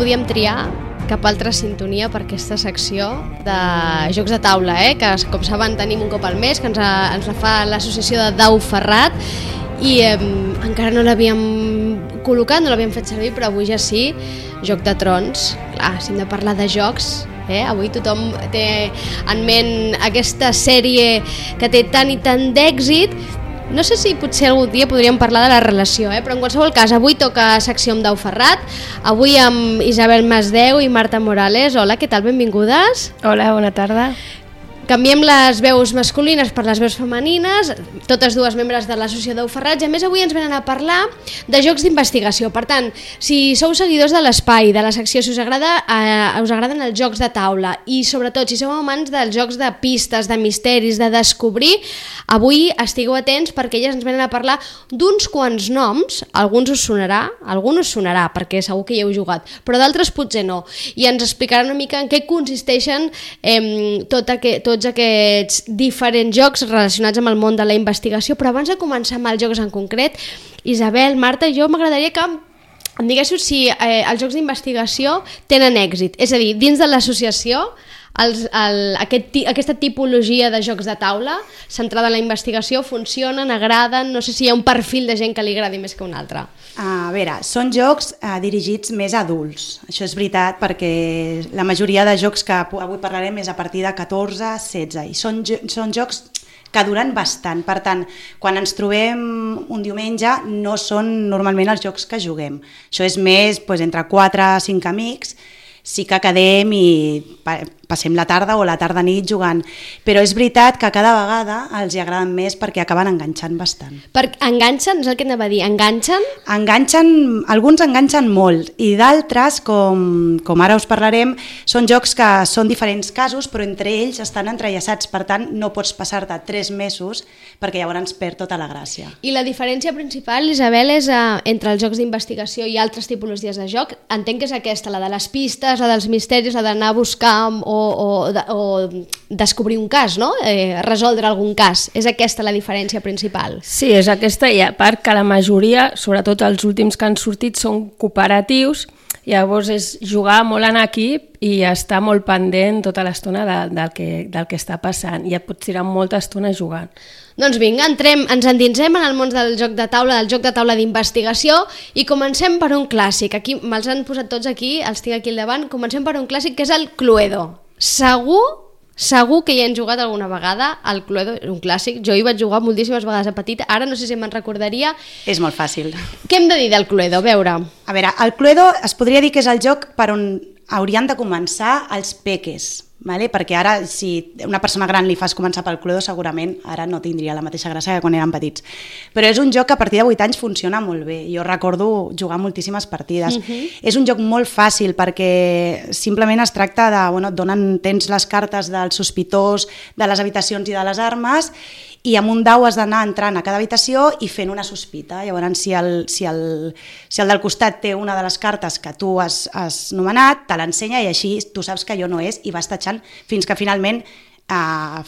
podíem triar cap altra sintonia per aquesta secció de jocs de taula, que com saben tenim un cop al mes, que ens la fa l'associació de Dau Ferrat i encara no l'havíem col·locat, no l'havíem fet servir, però avui ja sí, Joc de Trons. Clar, si hem de parlar de jocs, avui tothom té en ment aquesta sèrie que té tant i tant d'èxit. No sé si potser algun dia podríem parlar de la relació, però en qualsevol cas, avui toca secció amb Dau Ferrat, avui amb Isabel Masdeu i Marta Morales. Hola, què tal? Benvingudes. Hola, bona tarda. Canviem les veus masculines per les veus femenines, totes dues membres de l'associació Dau Ferrat, i a més avui ens venen a parlar de jocs d'investigació. Per tant, si sou seguidors de l'espai, de la secció, si us agraden els jocs de taula i sobretot si sou amants dels jocs de pistes, de misteris, de descobrir, avui estigueu atents perquè elles ens venen a parlar d'uns quants noms, alguns us sonarà perquè segur que hi heu jugat, però d'altres potser no, i ens explicaran una mica en què consisteixen tots aquests diferents jocs relacionats amb el món de la investigació. Però abans de començar amb els jocs en concret, Isabel, Marta, jo m'agradaria que em diguéssiu si els jocs d'investigació tenen èxit, és a dir, dins de l'associació aquesta tipologia de jocs de taula centrada en la investigació funcionen, agraden, no sé si hi ha un perfil de gent que li agradi més que un altre. A veure, són jocs dirigits més a adults, això és veritat, perquè la majoria de jocs que avui parlarem és a partir de 14-16 i són jocs que duren bastant, per tant, quan ens trobem un diumenge no són normalment els jocs que juguem, això és més entre 4 o 5 amics, sí que quedem i passem la tarda o la tarda-nit jugant, però és veritat que cada vegada els hi agraden més perquè acaben enganxant bastant. Enganxen? És el que anava a dir, enganxen? Alguns enganxen molt i d'altres, com ara us parlarem, són jocs que són diferents casos però entre ells estan entrellaçats, per tant no pots passar-te 3 mesos perquè llavors perd tota la gràcia. I la diferència principal, Isabel, és entre els jocs d'investigació i altres tipologies de joc, entenc que és aquesta, la de les pistes, la dels misteris, la d'anar a buscar o descobrir un cas, no? Resoldre algun cas. És aquesta la diferència principal. Sí, és aquesta, i a part que la majoria, sobretot els últims que han sortit, són cooperatius, llavors és jugar molt en equip i estar molt pendent tota l'estona del que està passant, i et pots tirar molta estona jugant. Doncs vinga, ens endinsem en el món del joc de taula d'investigació, i comencem per un clàssic. Aquí me'ls han posat tots aquí, els tinc aquí al davant. Comencem per un clàssic que és el Cluedo. Segur que hi han jugat alguna vegada al Cluedo, un clàssic. Jo hi vaig jugar moltíssimes vegades a petita, ara no sé si me'n recordaria. És molt fàcil. Què hem de dir del Cluedo? A veure, el Cluedo es podria dir que és el joc per on haurien de començar els peques, perquè ara si una persona gran li fas començar pel Cluedo segurament ara no tindria la mateixa gràcia que quan eren petits, però és un joc que a partir de 8 anys funciona molt bé. Jo recordo jugar moltíssimes partides. És un joc molt fàcil perquè simplement es tracta de tens les cartes del sospitós, de les habitacions i de les armes, i amb un dau has d'anar entrant a cada habitació i fent una sospita. Llavors, si el del costat té una de les cartes que tu has nomenat, te l'ensenya i així tu saps que allò no és i vas tatxant fins que finalment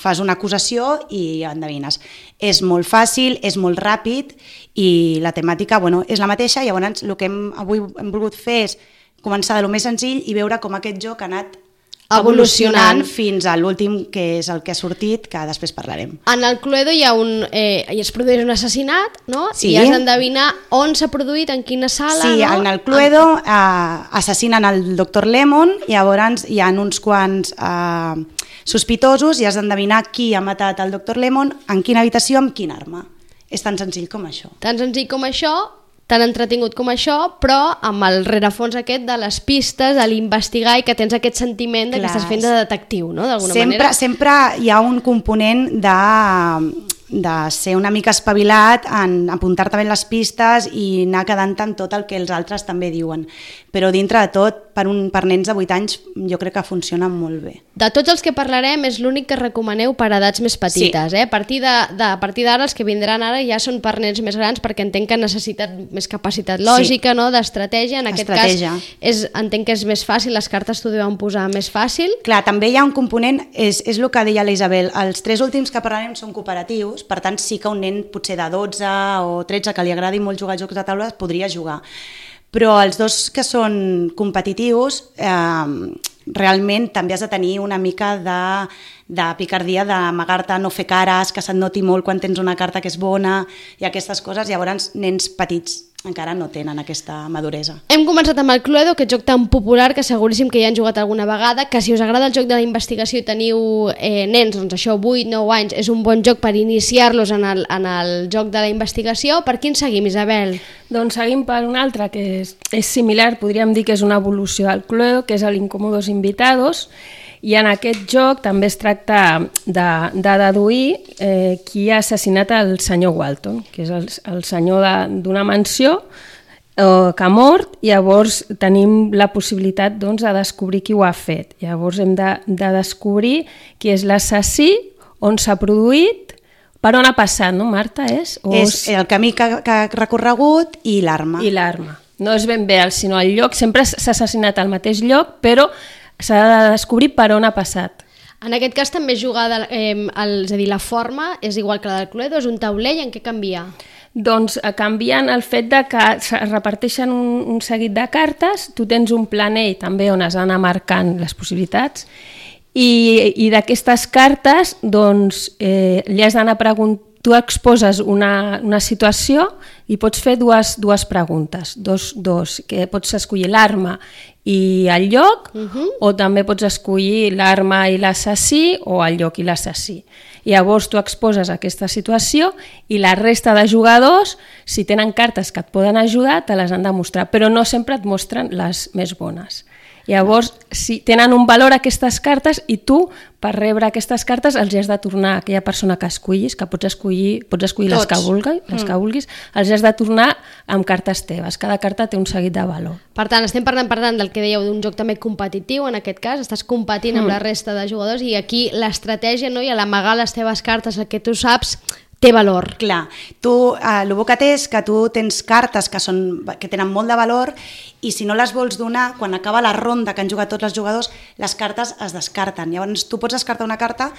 fas una acusació i endevines. És molt fàcil, és molt ràpid i la temàtica és la mateixa. Llavors, el que avui hem volgut fer és començar de lo més senzill i veure com aquest joc ha anat evolucionant fins a l'últim, que és el que ha sortit, que després parlarem. En el Cluedo es produeix un assassinat, no? Sí. I has d'endevinar on s'ha produït, en quina sala. Sí, no? En el Cluedo assassinen el Dr. Lemon, i llavors hi ha uns quants sospitosos i has d'endevinar qui ha matat el Dr. Lemon, en quina habitació, amb quina arma. És tan senzill com això. Tan senzill com això, tan entretingut com això, però amb el rerefons aquest de les pistes, de l'investigar, i que tens aquest sentiment que estàs fent de detectiu, no? D'alguna manera. Sempre hi ha un component de ser una mica espavilat, en apuntar-te bé les pistes i anar quedant-te amb tot el que els altres també diuen. Però dintre de tot, per nens de 8 anys, jo crec que funciona molt bé. De tots els que parlarem, és l'únic que recomaneu per edats més petites. Sí. A partir d'ara, els que vindran ara ja són per nens més grans, perquè entenc que necessiten més capacitat lògica, no? D'estratègia. En aquest cas, entenc que és més fàcil, les cartes t'ho deuen posar més fàcil. Clar, també hi ha un component, és el que deia la Isabel, els 3 últims que parlarem són cooperatius, per tant sí que un nen potser de 12 o 13 que li agradi molt jugar a jocs de taula podria jugar. però els dos que són competitius realment també has de tenir una mica de picardia, d'amagar-te, no fer cares, que se't noti molt quan tens una carta que és bona i aquestes coses. Llavors, nens petits encara no tenen aquesta maduresa. Hem començat amb el Cluedo, aquest joc tan popular que seguríssim que ja han jugat alguna vegada, que si us agrada el joc de la investigació i teniu nens, doncs això, 8-9 anys, és un bon joc per iniciar-los en el joc de la investigació. Per quin seguim, Isabel? Doncs seguim per un altre que és similar, podríem dir que és una evolució del Cluedo, que és l'Incómodos Invitados, i en aquest joc també es tracta de deduir qui ha assassinat el senyor Walton, que és el senyor d'una mansió que ha mort, i llavors tenim la possibilitat doncs, de descobrir qui ho ha fet. Llavors hem de descobrir qui és l'assassí, on s'ha produït, per on ha passat, no, Marta? És el camí que ha recorregut i l'arma. I l'arma. No és ben bé, sinó el lloc, sempre s'ha assassinat al mateix lloc, però s'ha de descobrir per on ha passat. En aquest cas també és jugada, és a dir, la forma és igual que la del Cluedo, és un taulell, en què canvia? Doncs canvien el fet de que es reparteixen un seguit de cartes, tu tens un planell també on has d'anar marcant les possibilitats, i d'aquestes cartes doncs, li has d'anar preguntant. Tu exposes una situació i pots fer dues preguntes, que pots escollir l'arma i el lloc, o també pots escollir l'arma i l'assassí o el lloc i l'assassí. Llavors tu exposes aquesta situació i la resta de jugadors, si tenen cartes que et poden ajudar, te les han de mostrar, però no sempre et mostren les més bones. Llavors, si tenen un valor aquestes cartes i tu, per rebre aquestes cartes, els has de tornar a aquella persona que escollis, que pots escollir les que vulguis, els has de tornar amb cartes teves. Cada carta té un seguit de valor. Per tant, estem parlant del que dèieu d'un joc també competitiu, en aquest cas, estàs competint amb la resta de jugadors i aquí l'estratègia, no? I a l'amagar les teves cartes, el que tu saps, té valor. Clar, el bo que té és que tu tens cartes que tenen molt de valor i si no les vols donar, quan acaba la ronda que han jugat tots els jugadors, les cartes es descarten. Llavors tu pots descartar una carta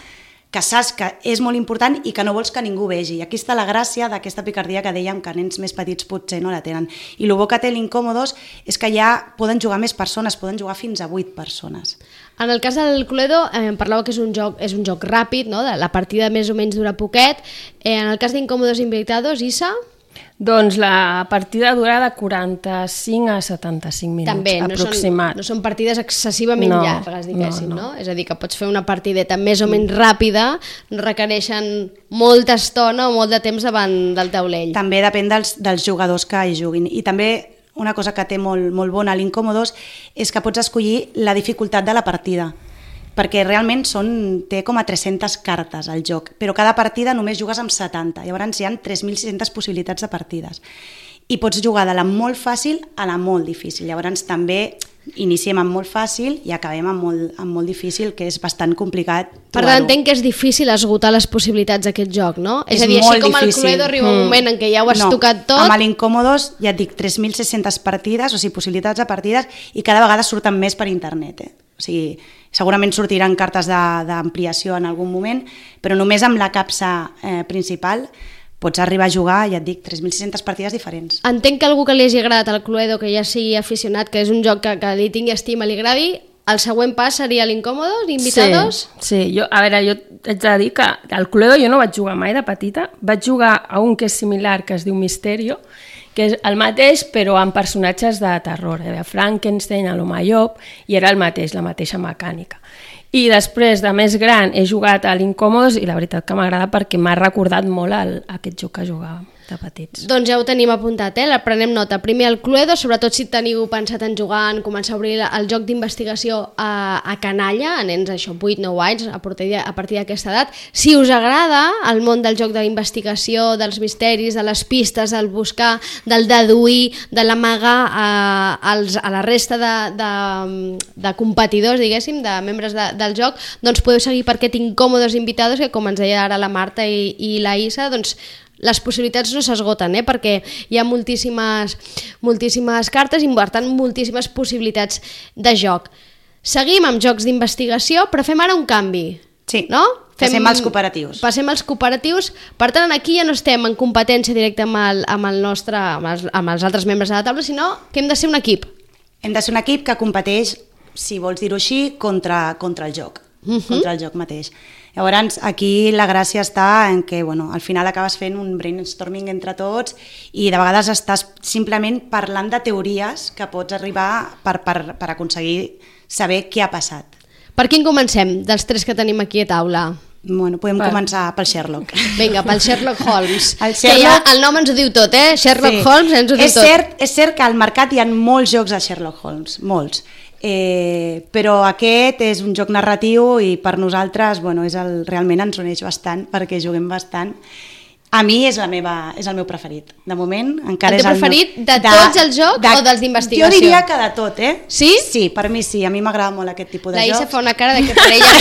que saps que és molt important i que no vols que ningú vegi. I aquí està la gràcia d'aquesta picardia que dèiem que nens més petits potser no la tenen. I el bo que té l'Incómodos és que ja poden jugar més persones, poden jugar fins a 8 persones. En el cas del Cluedo, parlàveu que és un joc ràpid, no? La partida més o menys dura poquet. En el cas d'Incómodos Invitados, Isa? Doncs la partida dura de 45 a 75 minuts, també, aproximat. No són partides excessivament llargues, diguéssim, no? És a dir, que pots fer una partideta més o menys ràpida, no requereixen molta estona o molt de temps davant del taulell. També depèn dels jugadors que hi juguin. I també una cosa que té molt bona a l'Incómodos és que pots escollir la dificultat de la partida, perquè realment té com a 300 cartes al joc, però cada partida només jugues amb 70, llavors hi ha 3.600 possibilitats de partides. I pots jugar de la molt fàcil a la molt difícil, llavors també iniciem amb molt fàcil i acabem amb molt difícil, que és bastant complicat trobar-ho. Per tant, entenc que és difícil esgotar les possibilitats d'aquest joc, no? És a dir, així com el Cluedo arriba un moment en què ja ho has tocat tot... Amb l'Incómodos, ja et dic, 3.600 partides, o sigui, possibilitats de partides, i cada vegada surten més per internet, O sigui, segurament sortiran cartes d'ampliació en algun moment, però només amb la capsa principal pots arribar a jugar, ja et dic, 3.600 partides diferents. Entenc que algú que li hagi agradat al Cluedo, que ja sigui aficionat, que és un joc que li tingui estima, li agradi, el següent pas seria l'Incómodos, Invitados? Sí, jo haig de dir que al Cluedo jo no vaig jugar mai de petita, vaig jugar a un que és similar, que es diu Misterio, que és el mateix però amb personatges de terror, Frankenstein, l'Home Llop, i era el mateix, la mateixa mecànica. I després, de més gran, he jugat a l'Incómodos i la veritat que m'agrada perquè m'ha recordat molt aquest joc que jugàvem de petits. Doncs ja ho tenim apuntat, prenem nota. Primer el Cluedo, sobretot si teniu pensat en jugar, en començar a obrir el joc d'investigació a canalla, a nens 8-9 anys, a partir d'aquesta edat. Si us agrada el món del joc de la investigació, dels misteris, de les pistes, del buscar, del deduir, de l'amagar a la resta de competidors, diguéssim, de membres del joc, doncs podeu seguir per aquest Incómodos Invitados, que com ens deia ara la Marta i la Isa, doncs les possibilitats no s'esgoten, perquè hi ha moltíssimes cartes i per tant moltíssimes possibilitats de joc. Seguim amb jocs d'investigació, però fem ara un canvi. Sí. No? Passem als cooperatius. Passem als cooperatius. Per tant, aquí ja no estem en competència directa amb els altres membres de la taula, sinó que hem de ser un equip. Hem de ser un equip que competeix, si vols dir-ho així, contra el joc. Contra el joc mateix. Llavors, aquí la gràcia està en que al final acabes fent un brainstorming entre tots i de vegades estàs simplement parlant de teories que pots arribar per aconseguir saber què ha passat. Per quin comencem, dels 3 que tenim aquí a taula? Podem començar pel Sherlock. Vinga, pel Sherlock Holmes. El nom ens ho diu tot, Sherlock Holmes ens ho diu tot. És cert que al mercat hi ha molts jocs de Sherlock Holmes, molts. Però aquest és un joc narratiu i per nosaltres realment ens uneix bastant perquè juguem bastant. A mi és el meu preferit. De moment encara és el meu preferit de tots els jocs o dels d'investigació? Jo diria que de tot, Sí? Sí, per mi sí, a mi m'agrada molt aquest tipus de jocs. La Isa fa una cara de que per ella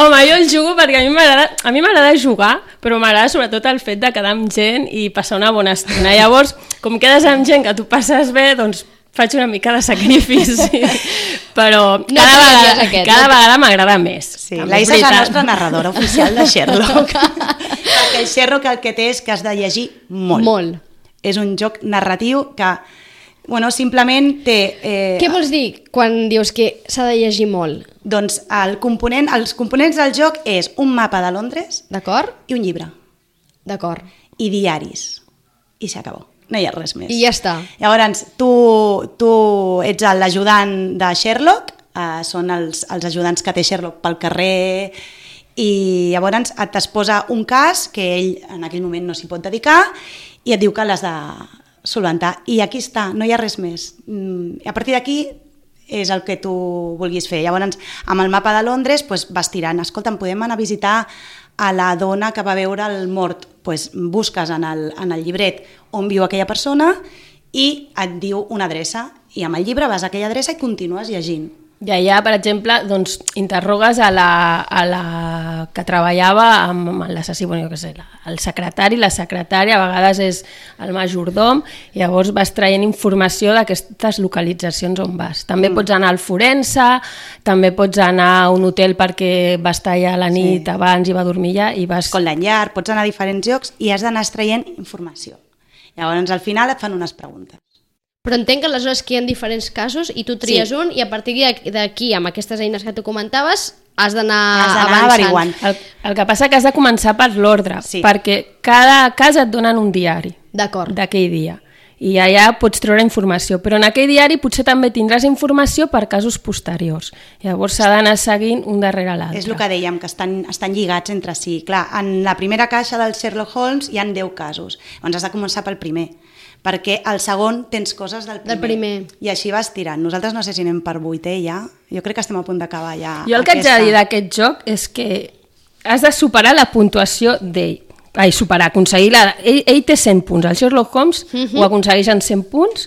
no. Home, jo el jugo perquè a mi m'agrada jugar, però m'agrada sobretot el fet de quedar amb gent i passar una bona estona. Llavors, com quedes amb gent que tu passes bé, doncs faig una mica de sacrifici, però cada vegada m'agrada més. Sí, la Isa és la nostra narradora oficial de Sherlock. Perquè el Sherlock el que té és que has de llegir molt. És un joc narratiu que, simplement té... Què vols dir quan dius que s'ha de llegir molt? Doncs els components del joc és un mapa de Londres. D'acord. I un llibre. D'acord. I diaris. I s'acabó. No hi ha res més. I ja està. Llavors, tu ets l'ajudant de Sherlock, són els ajudants que té Sherlock pel carrer, i llavors et posa un cas que ell en aquell moment no s'hi pot dedicar i et diu que l'has de solventar. I aquí està, no hi ha res més. A partir d'aquí és el que tu vulguis fer. Llavors, amb el mapa de Londres vas tirant. Escolta'm, podem anar a visitar a la dona que va veure el mort. Busques en el llibret on viu aquella persona i et diu una adreça. I amb el llibre vas a aquella adreça i continues llegint. I allà, per exemple, doncs, interrogues a la que treballava amb l'assassí, jo què sé, el secretari, la secretària, a vegades és el majordom, i llavors vas traient informació d'aquestes localitzacions on vas. També pots anar al forense, també pots anar a un hotel perquè vas estar allà a la nit abans i va dormir allà, i vas... Scotland Yard, pots anar a diferents llocs i has d'anar extraient informació. Llavors, al final et fan unes preguntes. Però entenc que aleshores que hi ha diferents casos i tu tries un i a partir d'aquí, amb aquestes eines que tu comentaves, has d'anar averiguant. El que passa que has de començar per l'ordre, perquè cada cas et donen un diari d'aquell dia. I allà pots treure informació, però en aquell diari potser també tindràs informació per casos posteriors. Llavors s'ha d'anar seguint un darrere l'altre. És el que dèiem, que estan lligats entre si. Clar, en la primera caixa del Sherlock Holmes hi ha 10 casos. Llavors has de començar pel primer, perquè al segon tens coses del primer. I així vas tirant. Nosaltres no sé si anem per 8è ja. Jo crec que estem a punt d'acabar ja. Jo el que haig de dir d'aquest joc és que has de superar la puntuació d'ell. Aconseguir ell té 100 punts, el Sherlock Holmes ho aconsegueix en 100 punts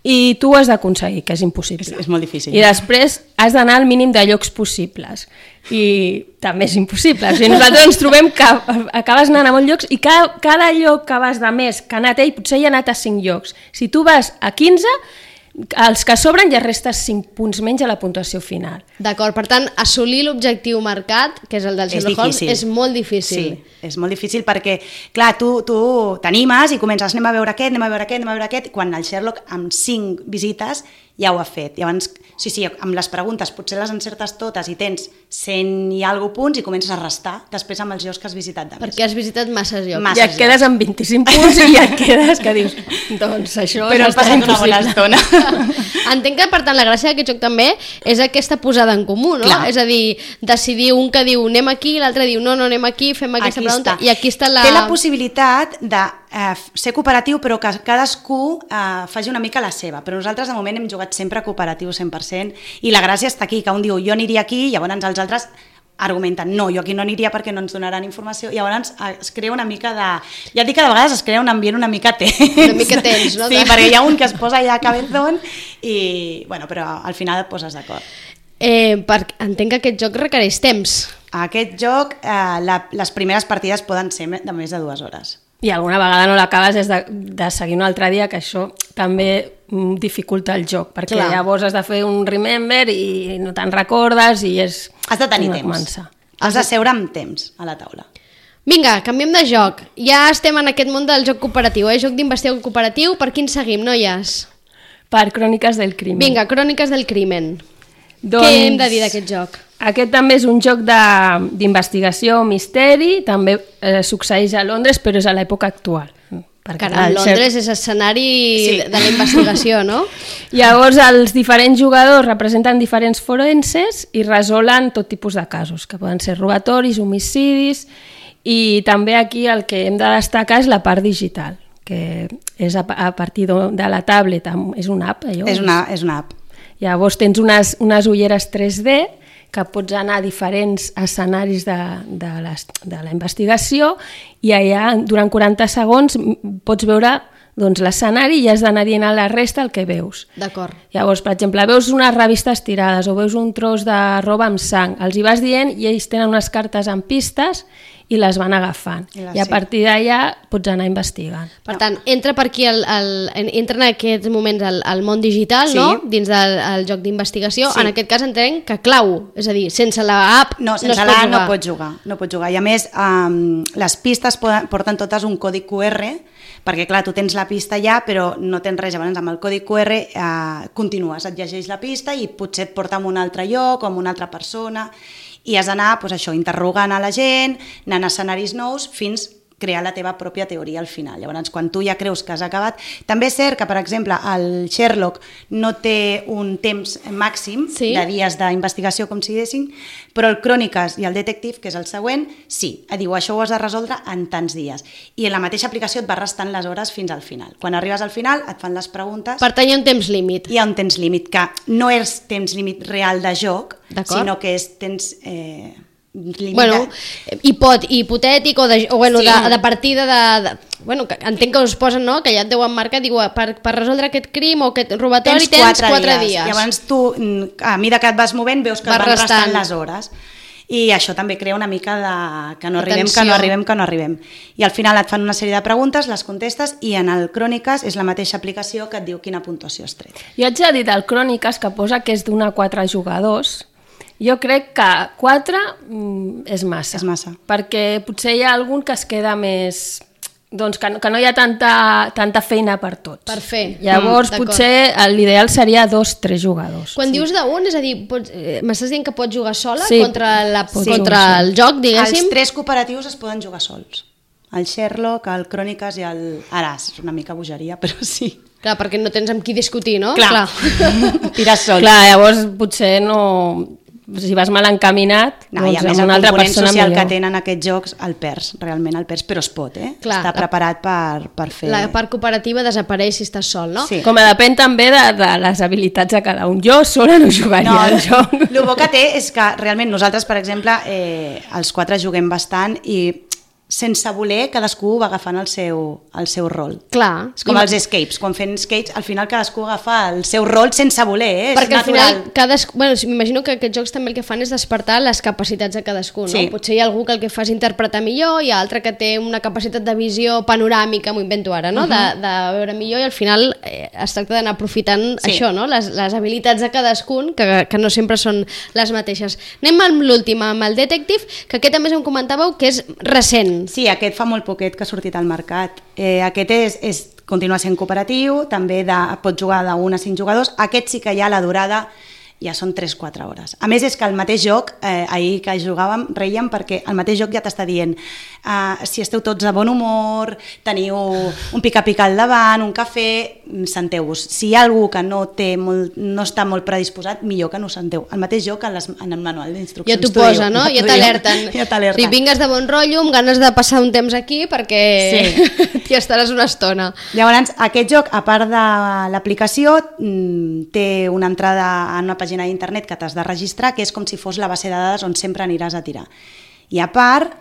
i tu ho has d'aconseguir, que és impossible. És molt difícil. I després has d'anar al mínim de llocs possibles i també és impossible. O sigui, nosaltres ens trobem que acabes anant a molts llocs i cada lloc que vas de més que ha anat ell, potser hi ha anat a 5 llocs. Si tu vas a 15, els que sobren ja restes 5 punts menys a la puntuació final. D'acord, per tant, assolir l'objectiu marcat, que és el del Sherlock Holmes, és molt difícil. Sí, és molt difícil perquè, clar, tu t'animes i comences, anem a veure aquest, quan el Sherlock amb 5 visites ja ho ha fet. Llavors, sí, amb les preguntes potser les encertes totes i tens 100 i alguna punts i comences a restar després amb els llocs que has visitat de més. Perquè has visitat masses llocs. I et quedes amb 25 punts i et quedes que dius, doncs això però has passat una bona estona. Entenc que, per tant, la gràcia d'aquest joc també és aquesta posada en comú, no? Clar. És a dir, decidir un que diu anem aquí, l'altre diu no anem aquí, fem aquesta pregunta. I aquí està la... Té la possibilitat de ser cooperatiu, però que cadascú faci una mica la seva. Però nosaltres, de moment, hem jugat sempre cooperatiu 100%, i la gràcia està aquí, que un diu jo aniria aquí, i llavors els altres argumenten, no, jo aquí no aniria perquè no ens donaran informació, i llavors es crea una mica de... Ja et dic que de vegades es crea un ambient una mica tens. Una mica tens, no? Sí, perquè hi ha un que es posa allà a cabezón i, bueno, però al final et poses d'acord. Entenc que aquest joc requereix temps. Aquest joc, les primeres partides poden ser de més de 2 hores. i alguna vegada no l'acabes és de seguir un altre dia, que això també dificulta el joc, perquè llavors has de fer un remember i no te'n recordes i és... Has de tenir temps. Has de seure amb temps a la taula. Vinga, canviem de joc. Ja estem en aquest món del joc cooperatiu, joc d'investigació cooperatiu. Per quin seguim, noies? Per Cròniques del Crimen. Vinga, Cròniques del Crimen. Doncs, què hem de dir d'aquest joc? Aquest també és un joc d'investigació, misteri, també succeeix a Londres, però és a l'època actual. Caram, Londres és escenari de la investigació, no? Llavors, els diferents jugadors representen diferents forenses i resolen tot tipus de casos, que poden ser robatoris, homicidis, i també aquí el que hem de destacar és la part digital, que és a partir de la tablet, és una app, allò? És una app. Llavors tens unes ulleres 3D que pots anar a diferents escenaris de la investigació i allà durant 40 segons pots veure l'escenari i has d'anar dient a la resta el que veus. D'acord. Llavors, per exemple, veus unes revistes tirades o veus un tros de roba amb sang, els hi vas dient i ells tenen unes cartes amb pistes i les van agafant. I a partir d'allà pots anar investigant. Per tant, entra per aquí entra en aquests moments al món digital, no? Dins del joc d'investigació. En aquest cas entenc que clau, és a dir, sense l'app no es pot jugar. No pots jugar. I a més, les pistes porten totes un codi QR, perquè clar, tu tens la pista ja, però no tens res. Llavors amb el codi QR continues, et llegeix la pista i potser et porta a un altre lloc o a una altra persona i has d'anar interrogant a la gent, anant a escenaris nous fins crear la teva pròpia teoria al final. Llavors, quan tu ja creus que has acabat... També és cert que, per exemple, el Sherlock no té un temps màxim de dies d'investigació, com si dessin, però el Cròniques i el Detective, que és el següent, sí. Diu, això ho has de resoldre en tants dies. I en la mateixa aplicació et va restant les hores fins al final. Quan arribes al final, et fan les preguntes... Per tant, hi ha un temps límit. Hi ha un temps límit, que no és temps límit real de joc, sinó que és temps... Bueno, hipotètic o de partida bueno, entenc que us posen, no? Que ja et deuen marcar, diu, per resoldre aquest crim o aquest robatori tens 4 dies. Llavors tu, a mesura que et vas movent, veus que van restant les hores. I això també crea una mica de que no arribem. I al final et fan una sèrie de preguntes, les contestes, i en el Cròniques és la mateixa aplicació que et diu quina puntuació has tret. Jo haig de dir del Cròniques que posa que és d'1 a 4 jugadors. Jo crec que 4 és massa. És massa. Perquè potser hi ha algun que es queda més... Doncs que no hi ha tanta feina per tots. Per fer. Llavors, potser l'ideal seria 2-3 jugadors. Quan dius d'un, és a dir, m'estàs dient que pots jugar sola contra el joc, diguéssim? Els 3 cooperatius es poden jugar sols. El Sherlock, el Cròniques i el... Ara, és una mica bogeria, però sí. Clar, perquè no tens amb qui discutir, no? Clar. Tires sols. Clar, llavors potser no... Si vas mal encaminat, no, doncs amb una altra persona millor. El que tenen aquests jocs el perds, realment el perds, però es pot, Clar, està preparat per fer... La part cooperativa desapareix si estàs sol, no? Sí. Com depèn també de les habilitats de cada un. Jo sola no jugaria al joc. El bo que té és que realment nosaltres, per exemple, els 4 juguem bastant i sense voler cadascú va agafant el seu rol. Clar. És com els escapes. Quan fem escapes, al final cadascú agafa el seu rol sense voler, Perquè al final, m'imagino que aquests jocs també el que fan és despertar les capacitats de cadascú, no? Potser hi ha algú que el que fa és interpretar millor, hi ha altre que té una capacitat de visió panoràmica, m'ho invento ara, no? De veure millor, i al final es tracta d'anar aprofitant això, no? Les habilitats de cadascun, que no sempre són les mateixes. Anem amb l'últim, amb el Detective, que aquest també em comentàveu que és recent. Sí, aquest fa molt poquet que ha sortit al mercat. Aquest continua sent cooperatiu, també pot jugar d'1 a 5 jugadors. Aquest sí que ja la durada ja són 3-4 hores. A més, és que el mateix joc, ahir que jugàvem, reiem perquè el mateix joc ja t'està dient si esteu tots de bon humor, teniu un pica-pica al davant, un cafè, senteu-vos. Si hi ha algú que no està molt predisposat, millor que no senteu. El mateix joc en el manual d'instruccions. Ja t'ho posa, no? Ja t'alerten. Si vingues de bon rotllo, amb ganes de passar un temps aquí, perquè t'hi estaràs una estona. Llavors, aquest joc, a part de l'aplicació, té una entrada en una pàgina d'internet que t'has de registrar, que és com si fos la base de dades on sempre aniràs a tirar. I a part,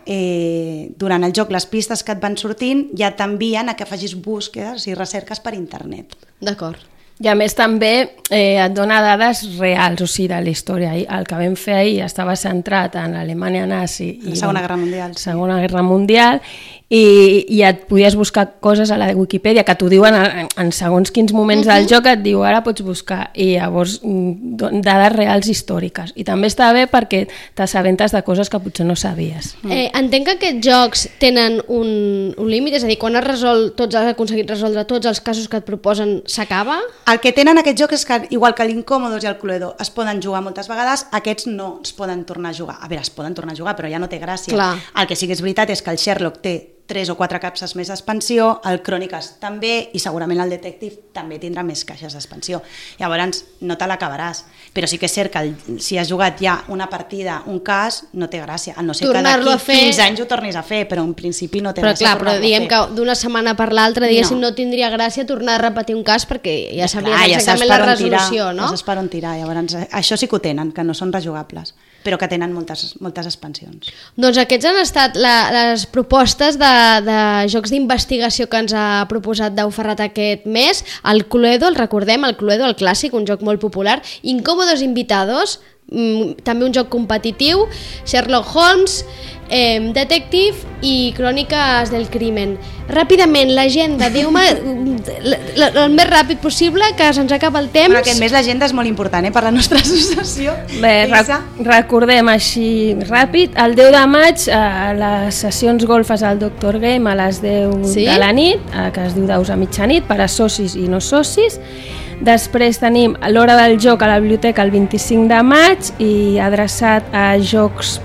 durant el joc, les pistes que et van sortint ja t'envien a que facis búsquedes i recerques per internet. D'acord. I a més també et dona dades reals, o sigui, de la història. El que vam fer ahir estava centrat en l'Alemanya nazi i la Segona Guerra Mundial. Segona Guerra Mundial, i et podies buscar coses a la Wikipedia que t'ho diuen en segons quins moments del joc, et diu ara pots buscar, i llavors dades reals històriques, i també està bé perquè t'assabentes de coses que potser no sabies. Entenc que aquests jocs tenen un límit, és a dir, quan has aconseguit resoldre tots els casos que et proposen, s'acaba? El que tenen aquests jocs és que, igual que l'Incòmodos i el Cluedo es poden jugar moltes vegades, aquests no es poden tornar a jugar. A veure, es poden tornar a jugar, però ja no té gràcia. Clar. El que sí que és veritat és que el Sherlock té 3 o 4 capses més d'expansió, el Cròniques també, i segurament el Detective també tindrà més caixes d'expansió. Llavors no te l'acabaràs, però sí que és cert que si has jugat ja una partida, un cas, no té gràcia, a no ser que d'aquí 15 anys ho tornis a fer, però en principi no té gràcia tornar-lo a fer. Però diguem que d'una setmana per l'altra, diguéssim, no tindria gràcia tornar a repetir un cas perquè ja sabries exactament la resolució, no? Ja saps per on tirar, llavors això sí que ho tenen, que no són rejugables, però que tenen moltes expansions. Doncs aquests han estat les propostes de jocs d'investigació que ens ha proposat Dau Ferrat aquest mes. El Cluedo, el recordem, el Cluedo, el clàssic, un joc molt popular. Incòmodos Invitados, també un joc competitiu. Sherlock Holmes, Detective i Cròniques del Crimen. Ràpidament, l'agenda, diu-me el més ràpid possible, que se'ns acaba el temps. Però aquest mes l'agenda és molt important per la nostra associació. Bé, recordem així ràpid, el 10 de maig a les sessions golfes al Dr. Game a les 10 de la nit, que es diu Daus a mitjanit, per a socis i no socis. Després tenim l'hora del joc a la biblioteca el 25 de maig i adreçat a jocs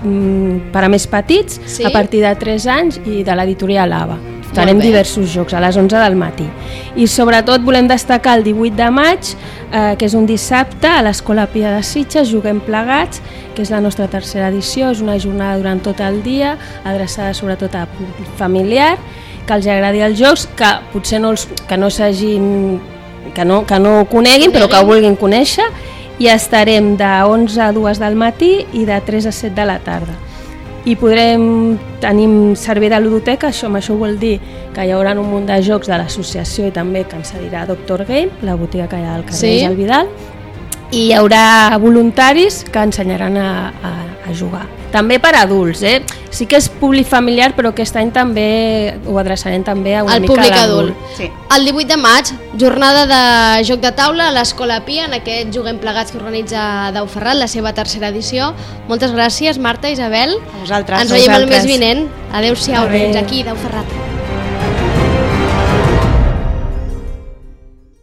per a més petits, a partir de 3 anys, i de l'editorial AVA. Farem diversos jocs a les 11 del matí. I sobretot volem destacar el 18 de maig, que és un dissabte, a l'Escola Pia de Sitges, Juguem Plegats, que és la nostra tercera edició, és una jornada durant tot el dia, adreçada sobretot a públic familiar, que els agradi els jocs, que potser que no ho coneguin, però que ho vulguin conèixer, i estarem de 11 a 2 del matí i de 3 a 7 de la tarda. I tenim servei de ludoteca, amb això vol dir que hi haurà un munt de jocs de l'associació i també que ens cedirà Dr. Game, la botiga que hi ha al carrer del Vidal, i hi haurà voluntaris que ensenyaran a jugar. També per adults, sí que és públic familiar, però aquest any també ho adreçarem també a una mica públic adult. Sí. El 18 de maig, jornada de joc de taula a l'Escola Pia, en aquest Juguem Plegats que organitza Dau Ferrat, la seva tercera edició. Moltes gràcies, Marta, Isabel. A vosaltres. Ens veiem el mes vinent. Adéu-siau, fins aquí, Dau Ferrat.